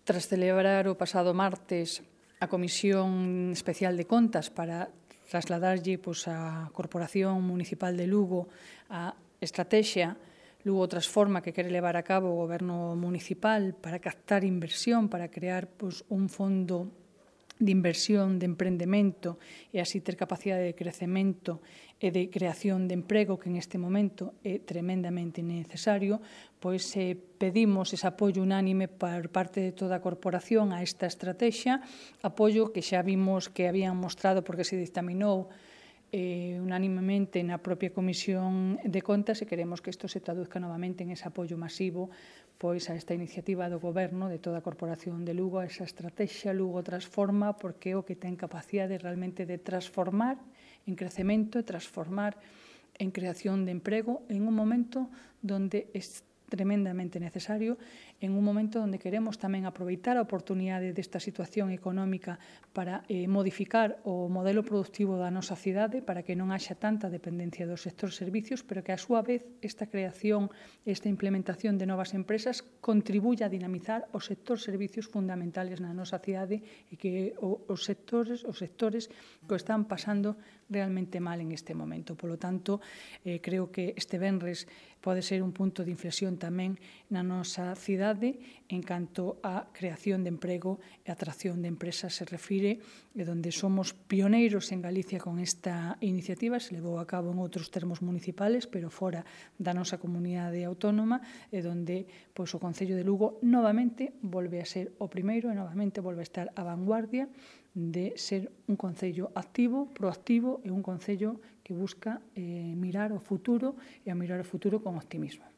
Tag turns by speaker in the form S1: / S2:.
S1: Tras celebrar o pasado martes a Comisión Especial de Contas para trasladarlle á Corporación Municipal de Lugo a estrategia Lugo Transforma que quere levar a cabo o Goberno municipal para captar inversión, para crear un fondo de inversión, de emprendemento e así ter capacidade de crecemento e de creación de emprego que neste momento é tremendamente necesario, pois pedimos ese apoio unánime por parte de toda a corporación a esta estrategia, apoio que xa vimos que habían mostrado porque se dictaminou unánimemente na propia Comisión de Contas e queremos que isto se traduzca novamente en ese apoio masivo pois a esta iniciativa do Goberno de toda a Corporación de Lugo, a esa estrategia Lugo Transforma, porque é o que ten capacidade realmente de transformar en crecemento e transformar en creación de emprego en un momento onde é tremendamente necesario, en un momento onde queremos tamén aproveitar a oportunidade desta situación económica para modificar o modelo productivo da nosa cidade para que non haxa tanta dependencia do sector servicios, pero que, a súa vez, esta creación, esta implementación de novas empresas contribuya a dinamizar o sector servicios fundamentales na nosa cidade e que os sectores que o están pasando realmente mal en este momento. Polo tanto, creo que este venres pode ser un punto de inflexión tamén na nosa cidade en canto á creación de emprego e atracción de empresas se refire, e onde somos pioneiros en Galicia con esta iniciativa, se levou a cabo en outros termos municipales, pero fora da nosa comunidade autónoma, e onde o Concello de Lugo novamente volve a ser o primeiro e novamente volve a estar á vanguardia de ser un concello activo, proactivo e un concello que busca mirar o futuro e a mirar o futuro con optimismo.